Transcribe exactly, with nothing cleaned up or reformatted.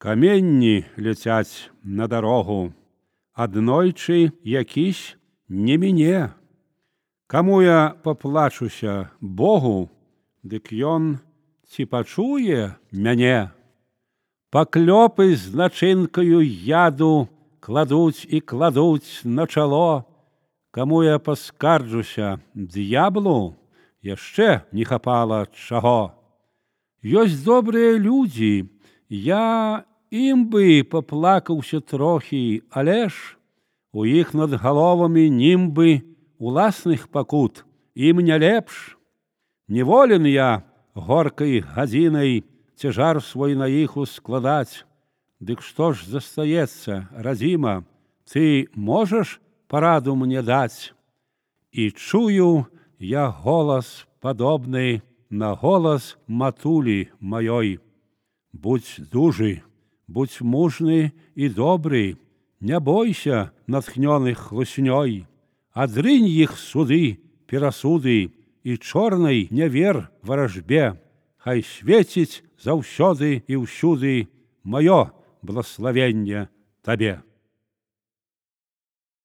Каменні ляцяць на дарогу, аднойчы якісь не міне. Каму я паплачуся Богу, дык ён ці пачуе мяне. Паклёпы з начынкаю яду кладуць і кладуць на чало. Каму я паскарджуся д'яблу, яшчэ не хапала чаго. Ёсць добрыя людзі, я ім бы паплакаўся трохі, але ж у іх над галовамі німбы уласных пакут, ім не лепш. Неволен я горкай гадзінай цяжар свой на іх ускладаць. Дык што ж застаецца, радзіма, ты можаш параду мне даць? І чую я голас падобны на голас матулі маёй. Будзь дужы, будзь мужны і добры, не бойся натхнёных хлуснёй. Адрынь іх суды, перасуды і чорнай не вер варажбе. Хай свеціць заўсёды і ўсюды маё благословенне табе.